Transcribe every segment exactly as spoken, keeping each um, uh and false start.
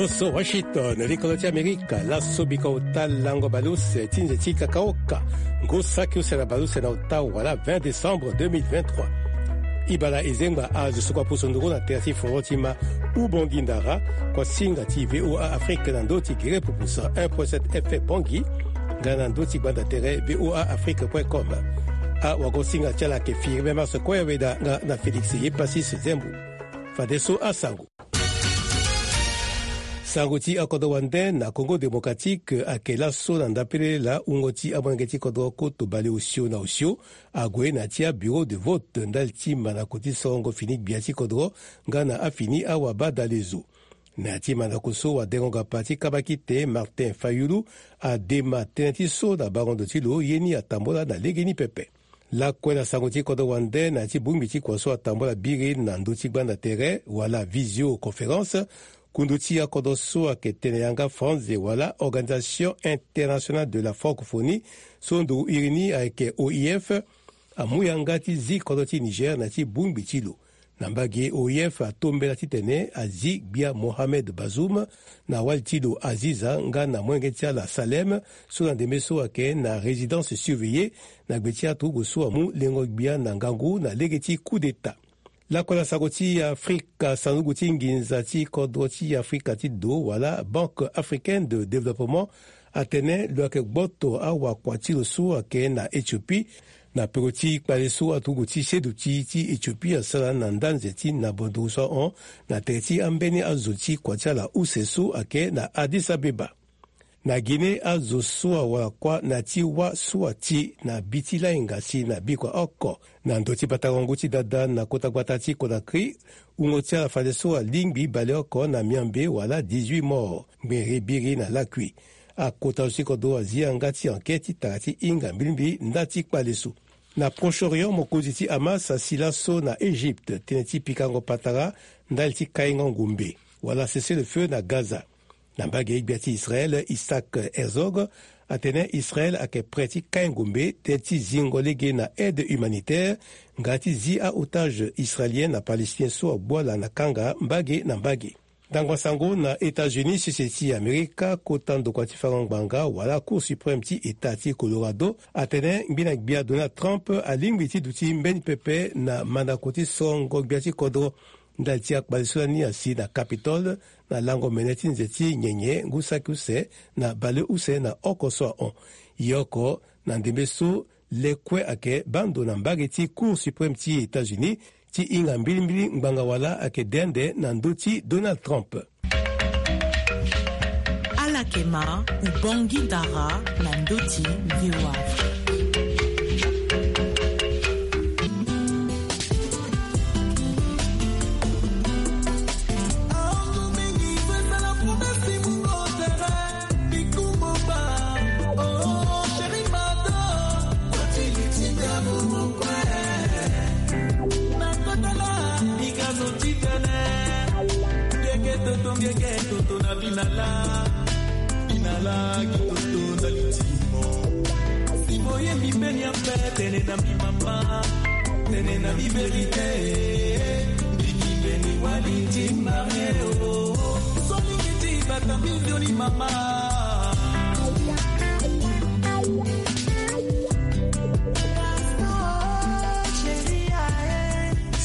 So Washington, likolo ti Amerika, laso bika ota lango baleuse ti nze ti kakaoka, ngu saki use na baleuse na ota wala vingt décembre deux mille vingt-trois. Ibala ezengba azo so kua pusu nduru na tere ti foro ti ma Ubongi Ndara, kua singa ti V O A Afrique na ndo ti gere pupusa un point sept F M Bongi, nga na ndo ti gbanda tere V O A Afrique point com. Awago singa ti ala ayeke Firmin Marse Koyaweda nga na Félix Yepasis Zembo. Fadeso asango. Sango ti akodro wande na Congo Démocratique ayeke laso na ndapele laa wungo ti amolenge ti kodro koto baleosio na osio ague na ya ti abureau de vote ndali ti mandako ti sorongo fini gbia ti kodro nga na afini awabadalezo. Na ya ti mandako so wadengo-gapa ti kabakite Martin Fayulu adema tënë ti so na bango ndo ti lo ye ni atambola na legeni pepe. Lakue na sango ti kodro wande na ya ti bongbi ti kua so atambola biri na ndö ti gbanda tere wala visioconférence, kundu ti akodro so ayeke tene yanga Franze wala Organisation Internationale de la Francophonie, so nduru iri ni ayeke O I F, amu yanga ti zi kodro ti Niger na ya ti bongbi ti lo. Na mbage O I F atombela titene azi gbia Mohamed Bazoum na wali ti lo Aziza nga na molenge ti ala Salem, so na ndembe so ayeke na résidence surveillée, na gbe ti aturugu so amu lengo gbia na ngangu na lege ti coup d'État. Lakue na sango ti Afrika, sanduku ti nginza ti kodro ti Afrika ti do wala Banque Africaine de Développement atene lo yeke gboto awakua ti lo so ayeke na Éthiopie, na peko ti kpale so aturugu ti seduti ti Éthiopie asara na ndanze ti na bonduru so ahon na tere ti ambeni azo ti kua ti ala use so ayeke na Addis Abeba. Na Guinée, azo so awara kuâ na ya ti wâ so ati na bi ti lainga si na bikua oko na ndö ti batarangu ti dada na kota gbata ti Conakry, wungo ti ala fadeso alingbi baleoko na miambe wala dix-huit morts, ngbere biri na lakui. Akota zo ti kodro azi yanga ti enquête ti tara ti hinga mbilimbili nda ti kpale so. Na Proche-Orient, mokonzi ti Hamas asi laso na Égypte tënë ti pikango patara ndali ti kaingo ngombe wala cessez-le-feu na Gaza. Na mbage gbia ti Israël, Isaac Herzog atene Israël ayeke prêt ti kai ngombe tënë ti zingo lege na aide humanitaire nga ti zi a-otage israélien na palestinien so agbua ala na kanga mbage na mbage. Ndangba sango na États-Unis, sese ti Amerika, kota ndokua ti fango ngbanga wala Cour suprême ti État ti Colorado atene ngbina gbia Donald Trump alingbi ti duti mbeni pepe na mandako ti sorongo gbia ti kodro ndali ti akpale so lani asi na Capitole na lango mene ti nze ti nyenye ngu saki use na baleuse na oko so ahon. Ye oko na ndembe so le kue ayeke baa ndo na mbage ti Cour suprême ti États-Unis ti hinga mbilimbili ngbanga wala ayeke de ande na ndö ti Donald Trump. Ala yeke ma Ubongi Ndara na ndö ti V O A Afrique. Binala, binala, kitoto na litimo. Si boyebi mbeni ya mpe, tene na mbi mama, tene na mbi verite. Mbiki mbeni wali ti mare o. Solingi ti bata mbi nzoni mama.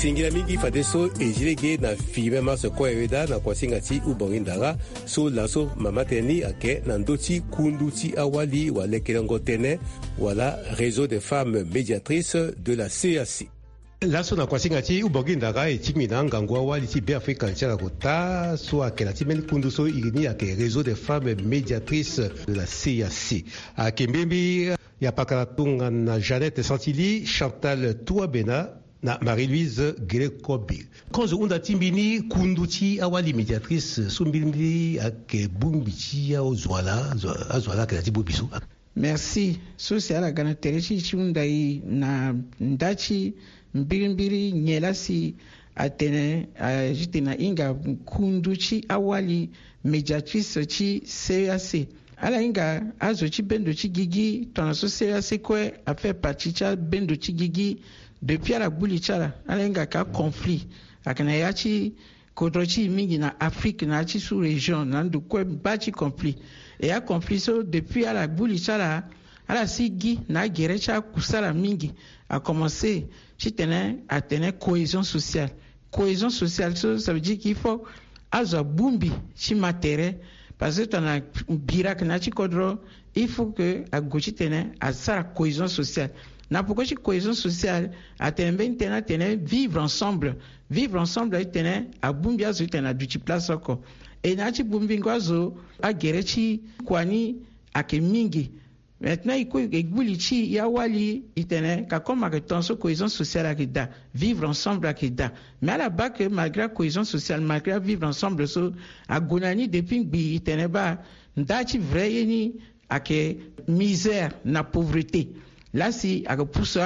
Singila mingi fadeso e zi lege na Firmin Marse Koyaweda na kuasinga ti Ubongi Ndara, so laso mama tënë ni ayeke na ndö ti kundu ti awali wala lekelengo tënë wala Réseau des femmes médiatrices de la C E A C. Laso na kuasinga ti Ubongi Ndara e tingbi na angangu awali ti Beafrika ti ala kota so ayeke na ti mbeni kundu so iri ni ayeke Réseau des femmes médiatrices de la C E A C. Ayeke mbirimbiri ya pakala tongana Jeannette Santili, Chantal Touabena na Marie-Louise Gele Kobi. Kozo hunda ti mbi ni kundu ti awali médiatrice so mbirimbiri ayeke bongbi ti azo ala, azo ala ayeke na ti bongbi so. Merci. So si ala ga na tere ti e ti hunda e na nda ti mbirimbiri nyen laa si atene, a, ti tene ahinga kundu ti awali médiatrice ti C E A C. Ala hinga azo ti bendo ti gigi tongana so C E A C kue a fait partie ti abendo ti gigi depuis ala gbu li ti ala. Ala hinga ka conflit. Ayeke na ya ti Kodro ti e mingi na Afrique na ya ti sous région na ndo kue baa ti conflit. E aconflit so depuis ala gbu li ti ala, ala si gi na agere ti akusala mingi. Akomense titene atene cohésion sociale. Cohésion sociale so, ça veut dire qu'il faut azo abongbi ti ma tere. Parce que tongana bira ake na ya ti kodro, il faut que ague titene asara cohésion sociale. Na poko ti cohésion sociale, atene mbeni tënë atene vivre ensemble. Vivre ensemble atene abongbi azo titene aduti place oko. E na ya ti bongbingo azo, agere ti kua ni ake mingi. Maintenant e kue e gbu li ti e awali, e tene ka comme ake ton so cohésion sociale ake daa, vivre ensemble ake daa. Mais ala baa ke malgré cohésion sociale, malgré vivre ensemble so, ague na ni depuis ngbii, e tene baa nda ti vrai ye ni ake misère na pauvreté. Lasi ake pusu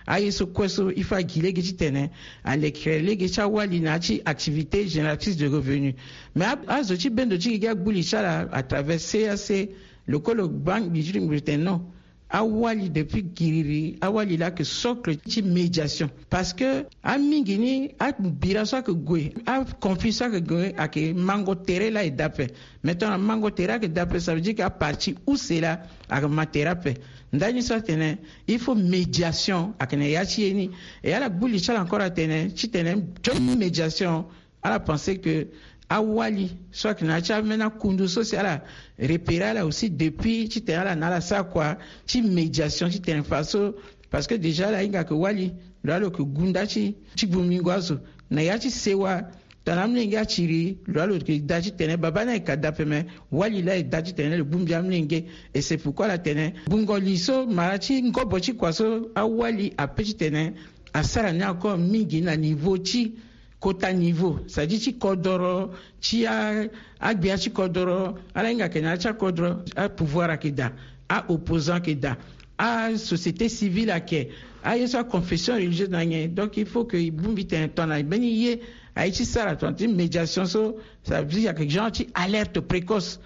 aye so kue so il faut agi lege titene alekere lege ti awali na ya ti activité génératrice de revenu. Mais azo ti bendo ti gi gi agbu li ti ala à travers C A C, lo kue lo baa ngbii ti lo, ngbii ti tene non, awali depuis giriri, awali laa ake socle ti médiation. Parce que amingi ni abira so ake gue, aconflit so ake gue ake mango tere laa e daa ape. Maintenant mango tere ake daa ape, ça veut dire que aparti use laa ake ma tere ape. Ndani so atene il faut médiation ake na ya ti ye ni. E ala gbu li ti ala encore atene titene ti médiation, ala pense ke awali so ake na ya ti ambeni akundu so si ala repérer ala aussi depuis titene ala na ala sara kua ti médiation titene fa so. Parce que déjà ala hinga ke wali lo alo ke gu nda ti ti bongbingo azo na ya ti sewa. Tongana amolenge atiri lo alo ke daa titene babâ ni ayeke daa ape, me wali laa e daa titene lo bongbi amolenge. Et c'est pourquoi ala tene gbungo li so mara ti ngobo ti kua so awali ape titene asara ni encore mingi na niveau ti kota niveau, c'est-à-dire ti kodoro, ti agbia ti kodoro, ala hinga ke na ya ti akodoro apouvoir ayeke daa, aopposant ayeke daa, asociété civile ayeke, aye so aconfession religieuse na nyen. Donc il faut ke e bongbi tene tongana mbeni ye aye ti sara tongana ti médiation so, ça veut dire ayeke genre ti alerte précoce.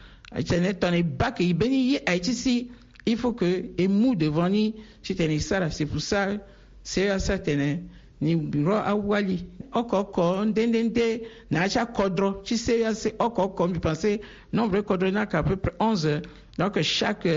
Tene tongana e baa ke mbeni ye aye ti si, il faut ke e mu devant ni titene e sara. C'est pour ça C E A C atene ni ro awali oko oko nde nde nde na ya ti akodro ti C E A C oko oko. Mbi pense nombre ti kodro ni ayeke à peu près onze. Donc chaque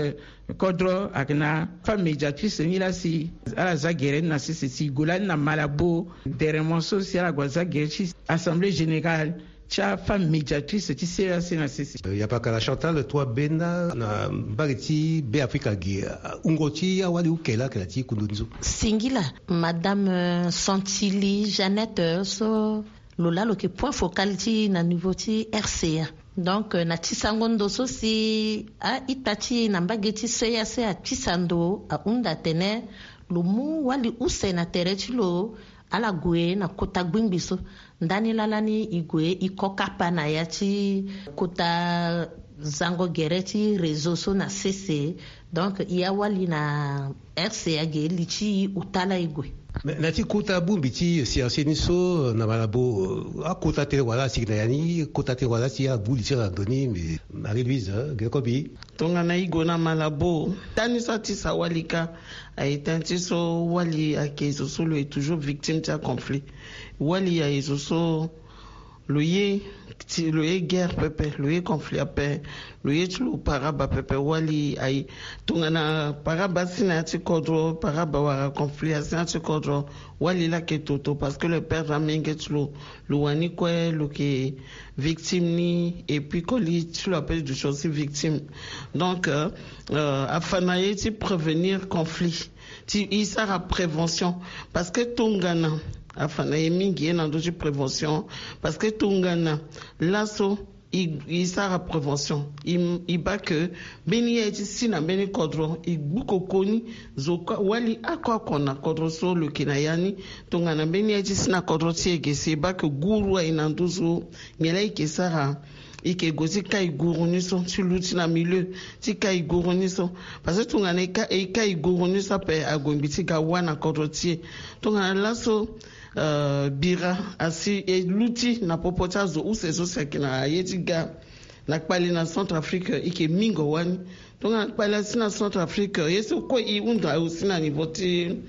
kodro ayeke na femme médiatrice ni laa si ala za gere ni na sese si e gue lani na Malabo. Deremo so si ala gue aza gere ti assemblée générale ti afemme médiatrice ti C E A C na sese. Yapakala Chantal, toi bena na mbage ti Beafrika ge, wungo ti awali uke laa ayeke na ti kundu ni so? Singila, madame Santili Jeannette so lo laa lo yeke point focal ti e na niveau ti R C A. Donc na ti sango ndo so si a-ita ti e na mbage ti C E A C atisa ndo ahunda atene lo mu wali use na tere ti lo, ala gue na kota gbingbi so. Ndani laa lani e gue e ko kapa na ya ti kota zango gere ti réseau so na sese. Donc e awali na R C A ge li ti e ota laa e gue. Mais na ti kota bongbi ti C E A C ni so na Malabo, akota tënë wala asi na ya ni, kota tënë wala asi agbu li ti ala na ndo ni, mais Marie-Louise, eh, ge kobi. Tongana e gue na Malabo, tani so atisa wali kâ aye tënë ti so wali ayeke zo so lo ye toujours victime ti aconflit. Wali aye zo so lo ye ti, lo ye guerre pepe, lo ye conflit ape, lo ye ti lo paraba pepe. Wali aye tongana paraba asi na ya ti kodro, paraba wala conflit asi na ya ti kodro, wali laa ayeke toto parce que lo perdre amenge ti lo, lo wani kue lo yeke victime ni, et puis koli ti lo ape duti aussi victime. Donc euh, euh, afa na ye ti prévenir conflit, ti e sara prévention. Parce que tongana afa na ye mingi ye na ndö ti prévention, parce que tongana laso e, e sara prévention, e, e baa ke mbeni ye aye ti si na mbeni kodro e gbu koko ni. Zo kue wali oko oko na kodro so lo yeke na ya ni, tongana mbeni ye aye ti si na kodro ti e ge si e baa ke guru aye na nduzu, nyen laa e yeke sara? E yeke gue ti kai guru ni so, ti luti na milieu ti kai guru ni so. Parce que tongana e kai, e kai guru ni so ape ague ngbii ti ga wâ na kodro ti e. Tongana laso euh, bira asi e luti na popo ti azo use so si ayeke na ye ti ga na kpale na Centrafrique, e yeke mingo wâ ni. Tongana kpale asi na Centrafrique, ye so kue e hunda aussi na niveau ti,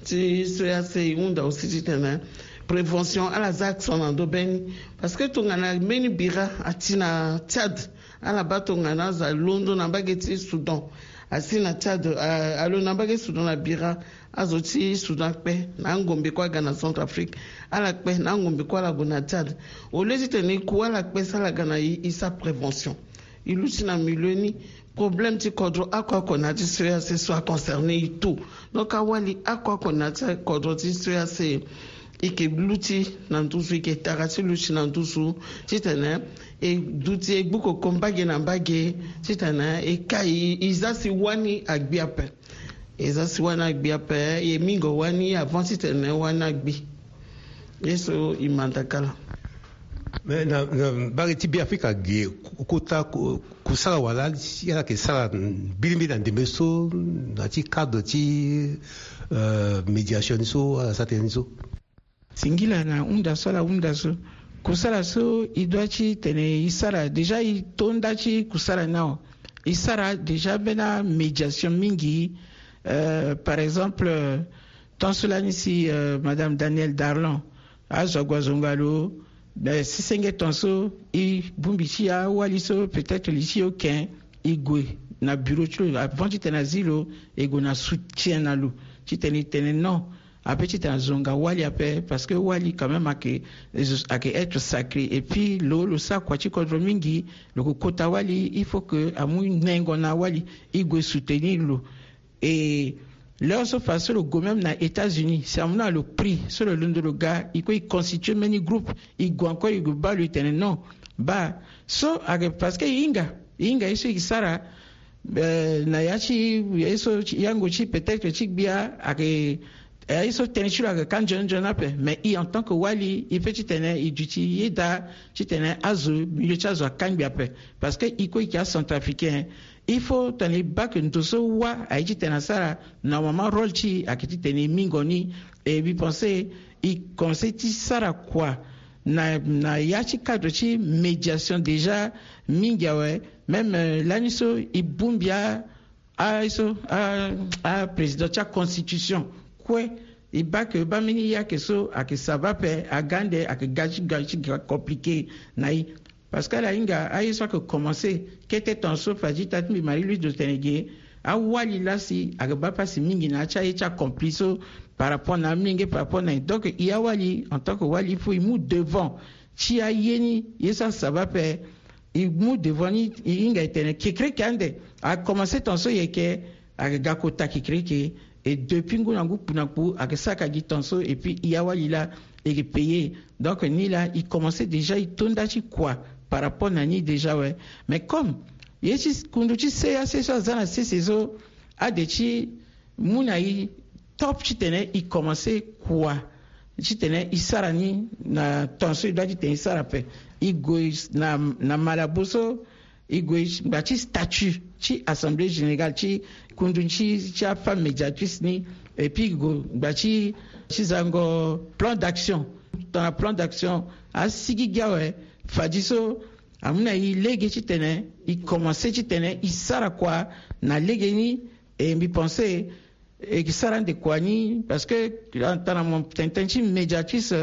ti C E A C, e hunda aussi titene prévention ala za accent na ndo beni. Parce que tongana mbeni bira ati na Tchad, ala ba tongana aza londo na mbage ti Soudan, asi na Tchad. Alo na mbage Soudan na bira, azo ti Soudan kpe na angombe kue aga na Centrafrique. Ala kpe na angombe kue ala gue na Tchad. Au lieu titene e ku ala kpe si ala ga na e, e sa prévention. E luti na milieu ni. Problème ti kodro oko oko na ya ti C E E A C so a concerné e tout. Donc awali oko oko na ya ti kodro ti C E E A C, e ke luti na nduzu, e ke tara ti luti na nduzu titene e duti e gbu koko mbage na mbage titene e kai e za si wani agbi ape. E za si wani agbi ape, e mingo wani avant titene wani agbi. Ye so e manda kala. Mais na, na mbage ti Beafrika ge, kota ku-, kusala wala si ala yeke sara mbilimbili na ndembe so na ti cadre ti, euh, médiation ni so ala sara tënë ni so. Singila na hunda so ala hunda so. Kusala so e doit titene e sara déjà, e to nda ti kusala ni awe. E sara déjà mbeni amédiation mingi. Euh, par exemple, euh, tant so lani si, euh, Madame Danielle Darlon azo ague azonga lo, euh, si senge tant so e bongbi ti awali so peut-être li ti oken, e gue na bureau ti lo avant titene azi lo, e gue na soutien na lo titene e tene non, ape titene azonga wali ape, parce que wali quand même ayeke, ayeke être sacré. Et puis lo, lo sara kua ti kodro mingi, lo ke kota wali, il faut que amu nengo na wali, e gue soutenir lo. Et l'heure so fa so lo gue même na États-Unis, si amu na lo prix so lo londo lo ga, e kue e constitué mbeni groupe, e gue encore e gue baa lo, e tene non, baa so ayeke parce que e hinga, e hinga ye so e sara, euh, na ya ti, ye so ti, yango ti peut-être ti gbia ayeke, eh, ye so tënë ti lo ayeke ka nzoni nzoni ape. Mais e en tant que wali, e peut titene e duti yeda titene azo, milieu ti azo akangbi ape. Parce que e kue e yeke acentrafricain, il faut titene e baa que ndo so wâ aye titene asara, normalement rôle ti e ayeke titene e mingo ni. Et mbi pense e commencé ti sara kua na, na ya ti cadre ti médiation déjà mingi awe. Même, euh, lani so e bongbi a, a, so, a, aprésident ti aconstitution kue, e baa que baa mbeni ye ayeke so ayeke sava ape, aga ande ayeke ga ti ga ti ga compliqué na e. Parce que ala hinga aye so ayeke commencé kete temps so fadi ita ti mbi Marie Louise lo tene ge, awali laa si ayeke baa pasi mingi na ya ti aye ti acomplice so par rapport na amolenge, par rapport na e. Donc e awali en tant que wali, il faut e mu devant ti aye ni, ye so asava ape, e mu devant ni, e hinga e tene kekereke ande. Acommencé temps so e yeke, ayeke ga kota kekereke. Et depuis ngu na ngu kpu na kpu ayeke saka gi temps so. Et puis e awali laa e yeke payé. Donc ni laa e commencé déjà e to nda ti kua par rapport na ni déjà awe. Mais comme ye ti kundu ti C E E A C so aza na sese so, ade ti mu na e top titene e commencé kua titene e sara ni na temps so e doit titene e sara ape. E gue na, na Malabo so, e gue ngba ti statut ti Assemblée générale ti kundu ti, ti afemme médiatrice ni. Et puis e gue ngba ti, ti zango plan d'action. Tongana plan d'action asigigi awe, fadi so amu na e lege titene e commencé titene e sara kua na lege ni. Et mbi pensé e ke sara ande kua ni, parce que tongana mo tene tënë ti médiatrice,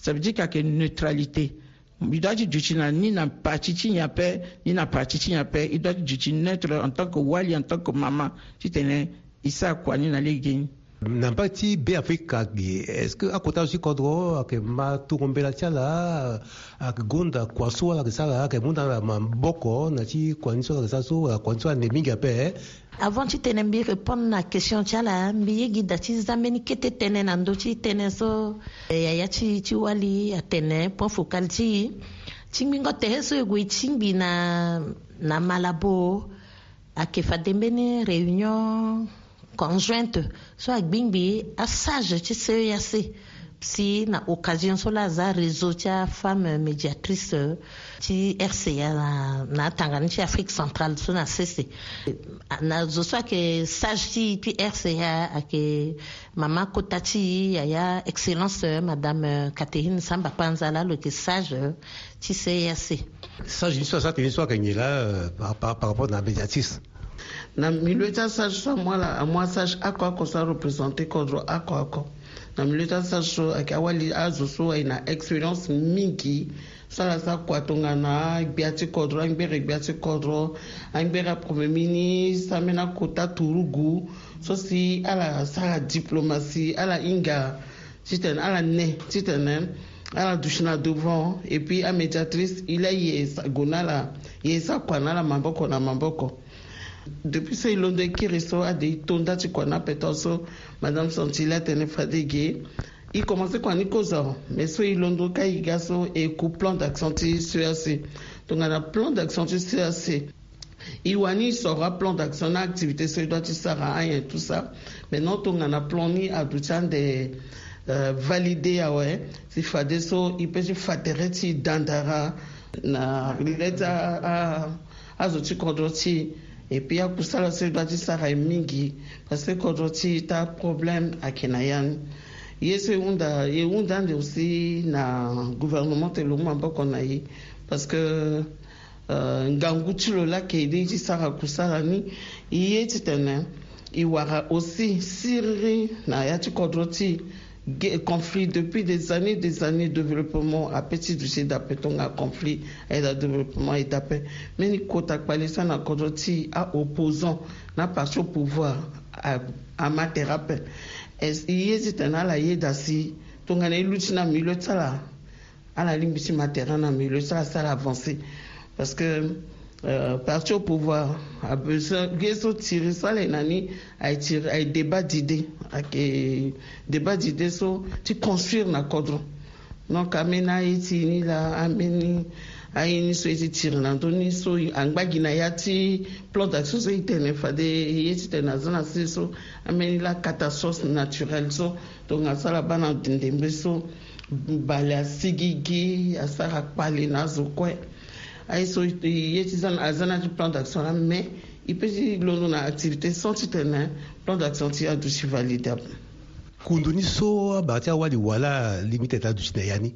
ça veut dire que ayeke neutralité. Mbi doit ti duti na ni na parti ti nyen ape, ni na parti ti nyen ape. E doit ti duti neutre en tant que wali, en tant que mama, titene e sara kua ni na lege ni. Na mbage ti Beafrika ge, est-ce que akota zo ti kodro ayeke ma tongo mbela ti ala, ayeke gonda kua so ala yeke sara, ayeke mu na ala maboko na ti kua ni so ala yeke sara so, wala kua ni so ande mingi ape? Avant titene mbi répondre na question ti ala, mbi ye gi da ti za mbeni kete tënë na ndö ti tënë so, eh, yaya ti, ti wali atene point focal ti e. Ti ngbingo tere so e gue e tingbi na, na Malabo, ayeke fade mbeni réunion conjointe so agbingbi asage ti C E E A C. Si na occasion so laa aza réseau ti afemme médiatrice, euh, ti R C A na, na atanga ni ti Afrique centrale so na sese. Na zo so ayeke sage ti, ti R C A ayeke mama kota ti e, yaya excellence, euh, madame, euh, Catherine Samba Panza laa lo yeke sage, euh, ti C E E A C. Sage ni so asara tënë ni so ayeke nyen laa, euh, par, par, par rapport na médiatrice? Na milieu ti asage so amu ala, amu asage oko oko so areprésenter kodro oko oko. Na milieu ti asage so ayeke awali azo so aye na expérience mingi so ala sara kua tongana agbia ti kodro, angbere gbia ti kodro, angbere apremier ministre, ambeni akota turugu so si ala sara diplomatie, ala hinga titene ala ne titene ala duti na devant. Et puis amédiatrice il a ye sa gue na ala, ye sa kua na ala maboko na maboko. Depuis so e londo e kiri so ade e to nda ti kua na ape tongaso, madame Santilli atene fade ge e commencer kua ni kozo. Mais so e londo ka e ga so e ku plan d'action ti C E A C. Tongana plan d'action ti C E A C, e wani e soro aplan d'action na activité so e doit ti sara ayen tout ça. Maintenant tongana plan ni aduti ande, euh, validé awe, si fadeso e peut ti fa tere ti e dandara na le ti a, a, azo ti kodro ti e. Et puis akusala so e doit ti sara e mingi, parce que kodro ti e ta problème ayeke na ya ni. Ye so e hunda, e hunda ande aussi na gouvernement ti lo mu maboko na e, parce que euh, ngangu ti lo laa ayeke ye ti sara kusala ni. E ye titene e wara aussi siriri na ya ti kodro ti e. Ge-, conflit depuis des années, des années, développement ape ti duti dape. Tongana conflit aye daa, développement aye dape. Mbeni kota kpale so na kodro ti e, a-opposant na parti au pouvoir a, ama tere ape. E ye titene ala yeda si tongana e luti na milieu ti ala, ala lingbi ti ma tere na milieu so ala sara avancer. Parce que, euh, parti au pouvoir a besoin ge so tiri so ala ye na ni, aye tiri, aye débat d'idée. Ayeke débat d'idée so ti construire na kodro. Donc ambeni aye ti e ni laa, ambeni aye ni so e ti tiri na ndö ni so angba gi na ya ti plan d'action so e tene fade e ye titene aza na se so, ambeni laa catastrophe naturelle so tongana so ala baa na ndembe so, bale asigigi, asara kpale na azo kue. Aye so e ye ti za na, aza na ya ti plan d'action laa, mais e peut ti londo na activité sans titene plan d'action ti e aduti validable. Kundu ni so abaa ti awali wala lingbi tene aduti na ya ni.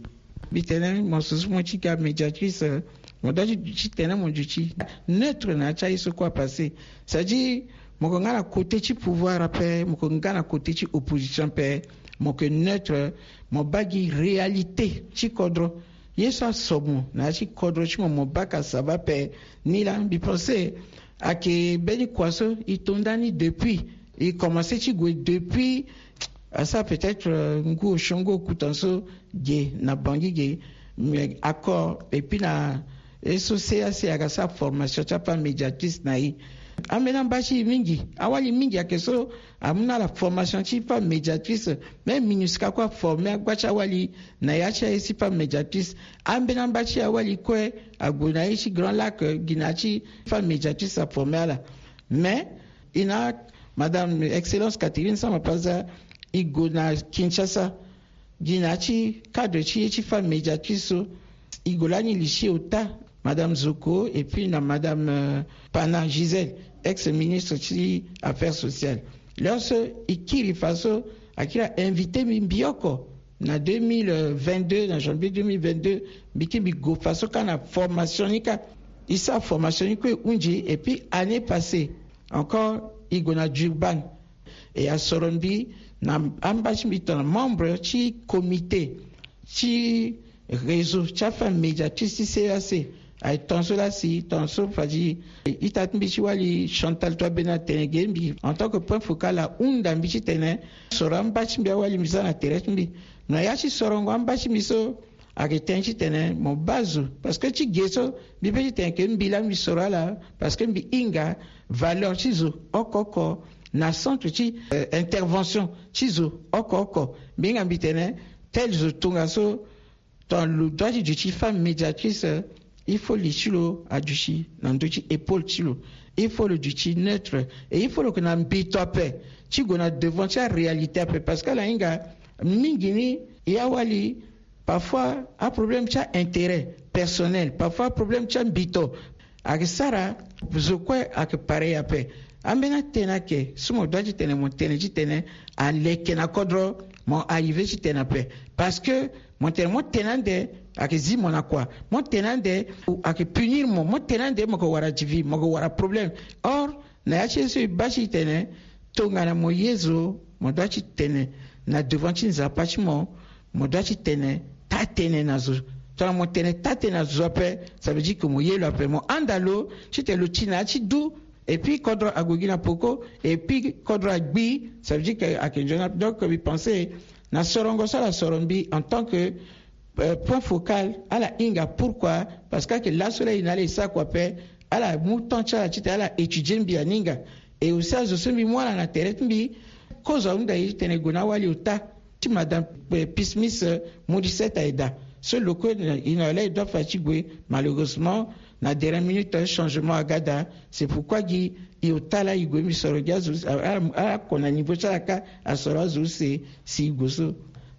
Mbi tene mo so so mo ti ga médiatrice, mo doit ti tene mo duti neutre na ya ti aye so kue apassé. C'est-à-dire mo yeke nga na côté ti pouvoir ape, mo yeke nga na côté ti opposition ape, mo yeke neutre. Mo baa gi réalité ti kodro, ye so aso mo na ya ti kodro ti mo, mo baa ka sava ape. Ni laa mbi pensé ayeke mbeni kua so e to nda ni depuis, e commencé ti gue depuis, asara peut-être, euh, ngu osio ngu okuta so ge na Bangui ge, mais accord et puis na ye so C E A C ayeke sara formation ti afemme médiatrice na e. Ambeni amba ti e mingi, awali mingi ayeke so amu na ala formation ti femme médiatrice. Même MINUSCA kue aforme agba ti awali na ya ti aye ti femme médiatrice. Ambeni amba ti e awali kue ague na ye ti Grand Lac, euh, gi na ya ti femme médiatrice aforme ala. Mais e na madame excellence Catherine Samba-Panza, e gue na Kinshasa gi na ya ti cadre ti ye ti femme médiatrice so, e gue lani li ti e ota, madame Zoko et puis na madame, euh, Pana Gisèle, ex-ministre ti affaires sociales. Lorsque e kiri fa so, akiri ainvité mbi, mbi oko na deux mille vingt-deux, na janvier deux mille vingt-deux, mbi kiri mbi gue fa so ka na formation ni ka. E sara formation ni kue e hunzi, et puis année passée encore e gue na Durban. E asoro mbi na amba ti mbi tongana membre ti comité ti réseau ti afemme médiatrice ti C E A C. Aye tongaso laa si tongaso fadi ita ti mbi ti wali Chantal Toit Bena atene ge mbi en tant que point focal ahunda mbi titene soro amba ti mbi awali mbi za na tere ti mbi. Na ya ti sorongo amba ti mbi so, ayeke tënë titene mo baa zo, parce que ti ge so mbi peut titene ke mbi laa mbi soro ala, parce que mbi hinga valeur ti zo oko oko na centre ti, euh, intervention ti zo oko oko. Mbi hinga mbi tene tel zo tongaso, tongana lo doit ti duti femme médiatrice, il faut li ti lo aduti na ndö ti épaule ti lo. Il faut lo duti neutre et il faut lo yeke na mbito ape ti gue na devant ti aréalité ape, parce que ala hinga mingi ni e awali parfois aproblème ti aintérêt personnel, parfois aproblème ti ambito ayeke sara zo kue ayeke pareil ape. Ambeni atënë ayeke so mo doit titene mo tene titene aleke na kodro, mo arrivé titene ape. Parce que mo tene mo tene ande ayeke zi mo na kua, mo tene ande ayeke punir mo, mo tene ande mo yeke wara divi, mo yeke wara problème. Or na ya ti ye so e baa ti tene tongana mo ye zo, mo doit ti tene na devant ti nzapa ti mo. Mo doit ti tene taa-tënë na zo. Tongana mo tene taa-tënë na zo ape, ça veut dire que mo ye lo ape, mo handa lo titene lo ti na ya ti du. Et puis kodro ague gi na poko, et puis kodro agbi, ça veut dire que ayeke nzoni ape. Donc mbi pense na sorongo so ala soro mbi en tant que point focal, ala hinga. Pourquoi? Parce que ayeke laso laa e na ala e sara kua ape, ala mu temps ti ala titene ala étudier mbi aninga. Et aussi azo so mbi mu ala na tere ti mbi, kozo ahunda e titene e gue na awali ota ti madame Pismis Morisset aye daa. So lo kue e na lo laa e doit fa ti gue. Malheureusement na dernière minute changement aga daa. C'est pourquoi gi e ota laa e gue mbi soro gi azo use. Ala oko na niveau ti ala kâ asoro azo use si e gue so.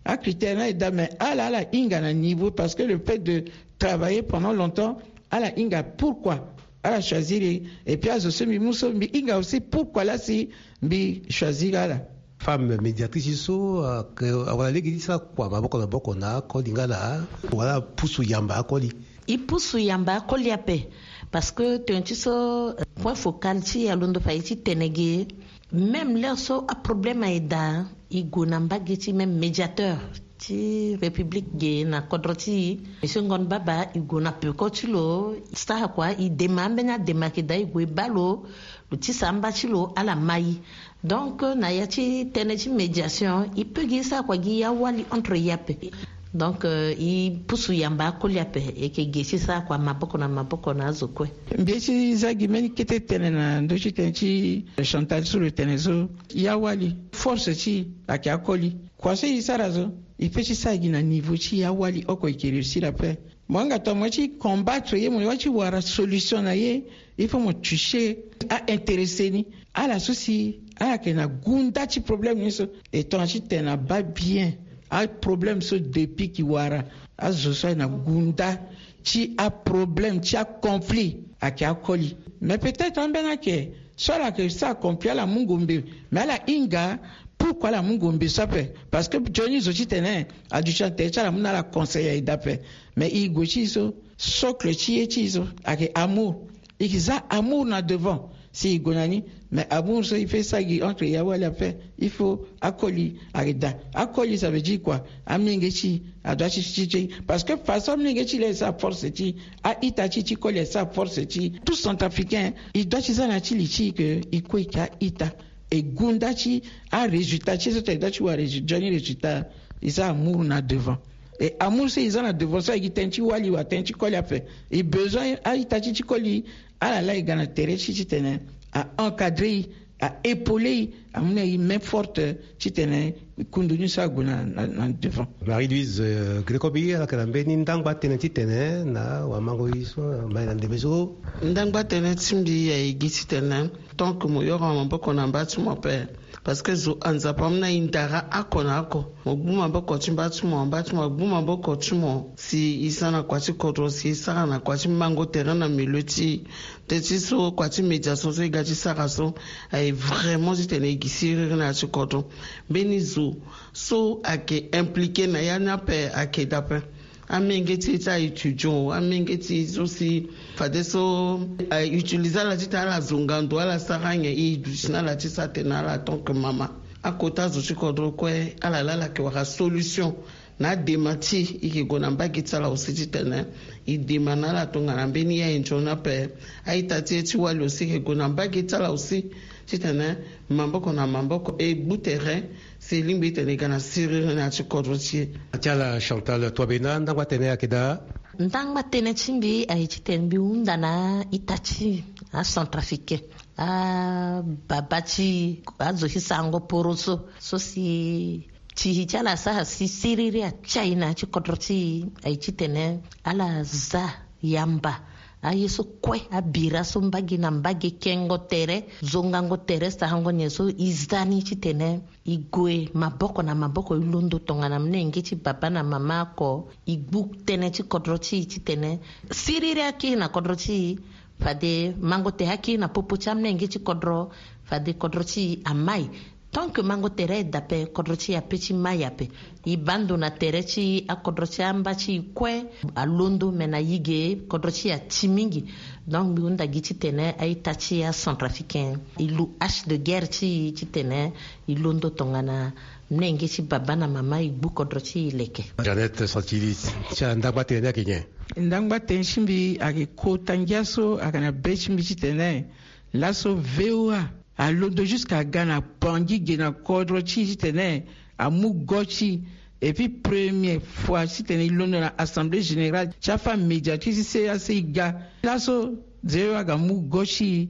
Acritère ni aye daa, mais ala ala hinga na niveau, parce que le fait de travailler pendant longtemps, ala hinga pourquoi ala choisir e. Et puis azo so mbi mu so mbi hinga aussi pourquoi laa si mbi choisir ala. Femme médiatrice so awara lege ti sara kua maboko na maboko na akoli nga laa wala apusu yamba akoli? E pusu yamba akoli ape. Parce que tene ti so point focal ti e alondo fa e ti tene ge. Même l'heure so aproblème aye daa, e gue na mbage ti même médiateur ti république ge na kodro ti e, monsieur Ngon Baba. E gue na peko ti lo, e sara kua, e dema ambeni adema ayeke daa, e gue e baa lo, lo tisa amba ti lo ala mai. Donc na ya ti tënë ti médiation e peut gi e sara kua gi awali entre e ape. Donc e pusu yamba akoli ape, e yeke ge ti sara kua maboko na maboko na azo kue. Mbi ye ti za gi mbeni kete tënë na ndö ti tënë ti Chantal so lo tene so. E awali force ti e ayeke akoli. Kua so e sara so e peut ti sara gi na niveau ti e awali oko e yeke réussir ape. Mo yanga tongana mo ye ti combattre ye, mo ye ti wara solution na ye, il faut mo toucher aintéressé ni. Ala so si ala yeke na gunda ti problème ni so. E tongana ti tene na baa bien aproblème so depuis ki wara azo so aye na gunda ti aproblème ti aconflit ayeke akoli. Mais peut-être ambeni ayeke so ala yeke sara conflit, ala mu ngombe. Mais ala hinga pourquoi ala mu ngombe so ape? Parce que nzoni zo ti tene aduti na tere ti ala, amu na ala conseil aye daa ape. Mais e gue ti e so, socle ti ye ti e so ayeke amour. E yeke za amour na devant si e gue na ni. Mais amour so e peut sara gi entre e awali ape, il faut akoli ayeke daa. Akoli ça veut dire quoi? Amolenge ti e adoit ti ti ti. Parce que façon amolenge ti e laa e sara force ti e, a-ita ti e ti koli e sara force ti e. Tout centrafricain e doit ti za na ya ti li ti e ke e kue e yeke a-ita. E gunda ti arésultat ti e so tene e doit ti wara résultat, nzoni résultat. E za amour na devant. E amour so e za na devant so ayeke gi tënë ti wali wala tënë ti koli ape. E besoin a-ita ti e ti koli ala laa e ga na tere ti e titene a encadrer e, a épauler e, amu na e main forte titene e kundu ni so ague na, na, na devant. Marie-Louise Grekobi, ala yeke na mbeni ndangba tënë titene na wamango ye so amai na ndembe so. Ndangba tënë ti mbi aye gi titene tant que mo yoro maboko na mba ti mo ape. Parce que zo a Nzapa amu na e ndara oko na oko. Mo gbu maboko ti mba ti mo, mba ti mo agbu maboko ti mo si e za na kua ti kodro, si e sara na kua ti mango tere na milieu ti e. Teti so kua ti médiation so e ga ti sara so aye vraiment titene e gi siriri na ya ti kodro. Mbeni zo so ayeke impliqué na ya ni ape ayeke daa ape. Amenge ti e ti a-étudiant, amenge ti e so si fadeso a-utiliser ala titene ala zonga ndo, ala sara nyen, e duti na ala ti sara tënë na ala tant que mama. Akota zo ti kodro kue ala laa ala yeke wara solution na adema ti e. E yeke gue na mbage ti ala aussi titene e dema na ala tongana mbeni ya e nzoni ape. A-ita ti e ti wali aussi e yeke gue na mbage ti ala aussi titene maboko na maboko e gbu tere si e lingbi titene e ga na siriri na ya ti kodro ti e. Ti ala Chantal Touabena, ndangba tënë ayeke daa. Ndangba tënë ti mbi aye titene mbi hunda na a-ita ti e, acentrafricain, ababa ti e, azo ti sarango poroso so si ti e ti ala asara si siriri atia e na ya ti kodro ti e, aye titene ala za yamba aye so kue, abira so mbage na mbage, kengo tere, zongango tere, sarango nyen so e za ni titene e gue maboko na maboko, e londo tongana molenge ti baba na mama oko, e gbu tënë ti kodro ti e titene siriri akiri na kodro ti e. Fade mango tere akiri na popo ti amolenge ti kodro, fade kodro ti e amai. Tant que mango tere aye daa ape, kodro ti e ape ti mai ape. E baa ndo na tere ti akodro ti amba ti e kue. Alondo me na e ge, kodro ti e ati mingi. Donc mbi hunda gi titene a-ita ti acentrafricain e lu hache de guerre ti e titene e londo tongana molenge ti baba na mama e gbu kodro ti e leke. Jeannette Santilis, ti ala ndangba tënë ni ayeke nyen? Ndangba tënë ti mbi ayeke kota ngia so ayeke na be ti mbi titene laso V O A alondo jusqu'à ga na Bangui ge na kodro ti e titene amu go ti e. Et puis première fois titene e londo na assemblée générale ti afemme médiatrice ti C E A C e ga. Laso V O A aga mu go ti e.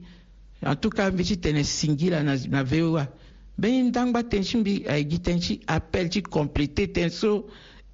En tout cas mbi titene singila na, na V O A. Mbeni ndangba tënë ti mbi ayeke gi tënë ti appel ti compléter tënë so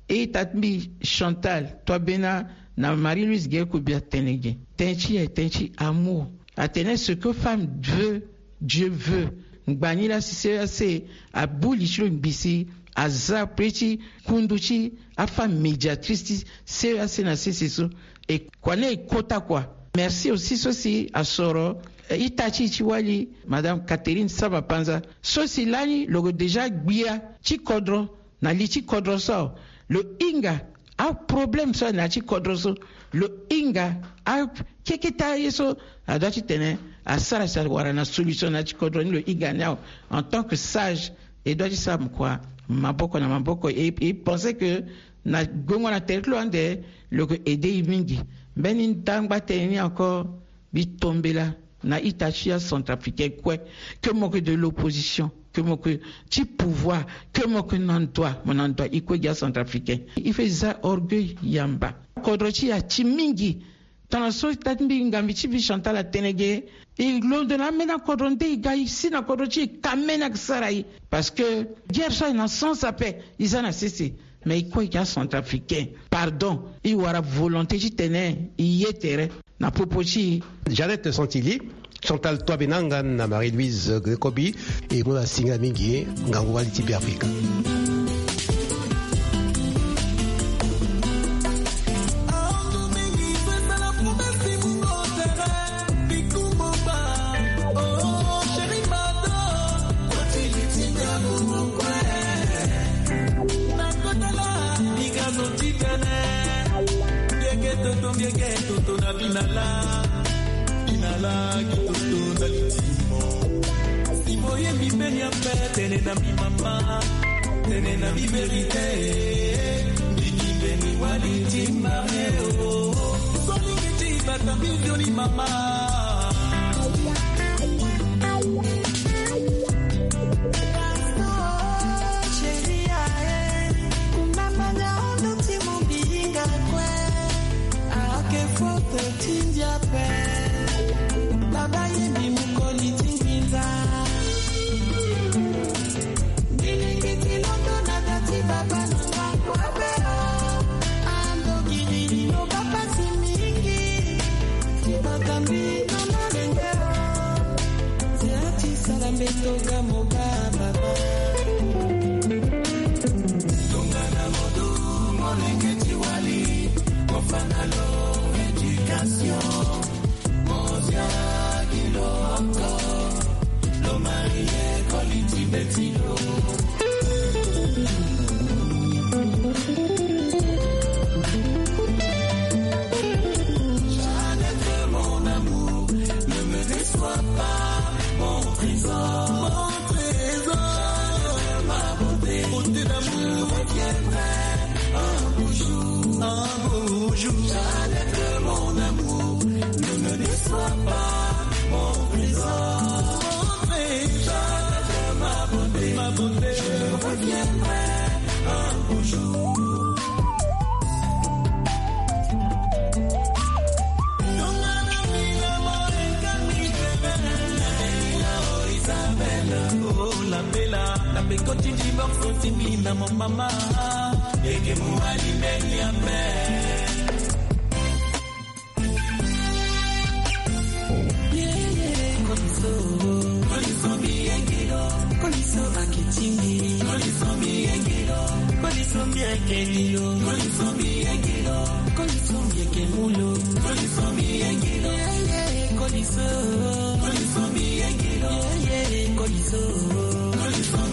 ita ti mbi Chantal Twabena na Marie Louise Guerre Kobia atene ge. Tënë ti e ayeke tënë ti amour. Atene ce que femme veut, Dieu veut. Ngbani laa si C E A C abu li ti lo ngbii si aza pe ti kundu ti afemme médiatrice ti C E A C na sese so. E kua ni e kota kua. Merci aussi so si asoro, eh, ita ti e ti wali, madame Catherine Saba Panza, so si lani lo gue déjà gbia ti kodro na li ti kodro so awe. Lo hinga aproblème so na ya ti kodro so. Lo hinga akeketa ye so adua titene asara si awara na solution na ya ti kodro ni. Lo hinga ni awe en tant que sage. E dua ti sara mo kua maboko na maboko. E, e pense que na gongo na tere ti lo ande lo yeke aider e mingi. Mbeni ndangba tënë ni encore mbi tombela na ita ti acentrafricain kue, que mo yeke de l'opposition, que mo yeke ti pouvoir, que mo yeke na ndua, mo na ndua e kue gi acentrafricain. Il faut e za orgueil yamba. Kodro ti e ati mingi. Tongana so ita ti mbi ngambi ti mbi Chantal atene ge, e londo na ambeni akodro nde e ga e si na kodro ti e ka ambeni ayeke sara e. Parce que guerre so aye na sens ape e za na sese. Mais e kue e yeke acentrafricain, pardon, e wara volonté titene e ye tere na popo ti e. Jeannette Santili, Chantal Toabenanga na Marie-Louise Grekobi. E mu na singa mingi ngangu wali ti Beafrika. Bieke toto, bieke toto na binala, binala ki toto na litimo. Si moyembi mbeni ape, tene na mbi mama, tene na mbi verite. Mbiki mbeni wali ti mare o. Solingi ti bata mbi vioni mama. Chérie, ae, kumamanga ondo ti mo bilinga kue. Ake forte ti ndia pe. Baba ye mbi mokoli ti nginza. Mbi lingi ti londo na da ti baba na nga kue be o. Ando gilili lo baba si mingi. Ti bata mbi na malenge o. Nzela ti sala mbeto ga mo ga baba. Tongana modu molenge ti wali, mofana lo éducation. Mozia gi lo oko, lo marie koli ti beti lo. Jeannette, mon amour, ne me déçois pas, mon trésor. Mon trésor. Jeannette, ma beauté, beauté d'amour. Je reviendrai un beau jour, un beau jour. Jeannette, mon amour, ne me déçois pas, mon trésor. Jeannette, ma beauté, ma beauté. Je reviendrai un beau jour. Lapela na peko ti divorce ti mbi na mo mama. Eke muali mbeni ape. Koliso, koliso mbi yengilo, koliso akitindi. Koliso mbi yengilo, koliso mbi akendilo. Koliso mbi yengilo, koliso mbi ekemulo. Koliso mbi yengilo, koliso mbi yengilo. Koliso, koliso.